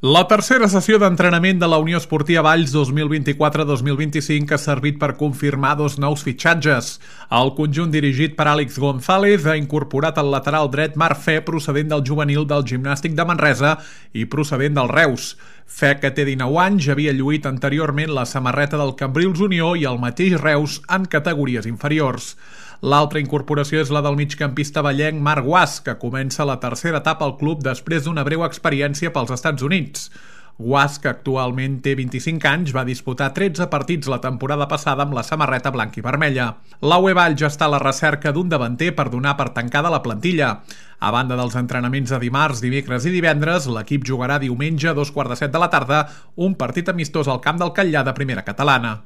La tercera sessió d'entrenament de la Unió Esportiva Valls 2024-2025 ha servit per confirmar dos nous fitxatges. El conjunt dirigit per Àlex González ha incorporat el lateral dret Marc Fe, procedent del juvenil del Gimnàstic de Manresa i procedent del Reus. Fe, que té 19 anys, havia lluït anteriorment la samarreta del Cambrils Unió i el mateix Reus en categories inferiors. L'altra incorporació és la del migcampista vallenc Marc Guas, que comença la tercera etapa al club després d'una breu experiència pels Estats Units. Guas, que actualment té 25 anys, va disputar 13 partits la temporada passada amb la samarreta blanca i vermella. La UE Valls ja està a la recerca d'un davanter per donar per tancada la plantilla. A banda dels entrenaments de dimarts, dimecres i divendres, l'equip jugarà diumenge a 2:15 de la tarda un partit amistós al camp del Catllar de Primera Catalana.